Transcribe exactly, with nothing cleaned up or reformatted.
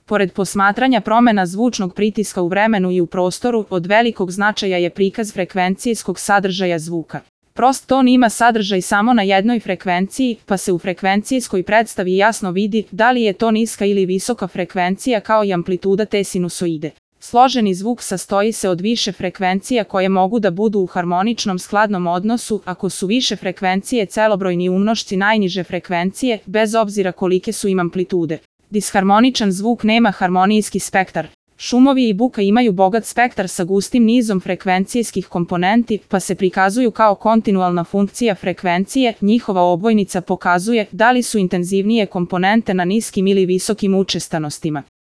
Pored posmatranja promena zvučnog pritiska u vremenu i u prostoru, od velikog značaja je prikaz frekvencijskog sadržaja zvuka. Prost ton ima sadržaj samo na jednoj frekvenciji, pa se u frekvencijskoj predstavi jasno vidi da li je to niska ili visoka frekvencija kao i amplituda te sinusoide. Složeni zvuk sastoji se od više frekvencija koje mogu da budu u harmoničnom skladnom odnosu ako su više frekvencije celobrojni umnošci najniže frekvencije, bez obzira kolike su im amplitude. Disharmoničan zvuk nema harmonijski spektar. Šumovi i buka imaju bogat spektar sa gustim nizom frekvencijskih komponenti, pa se prikazuju kao kontinualna funkcija frekvencije. Njihova obojnica pokazuje da li su intenzivnije komponente na niskim ili visokim učestanostima.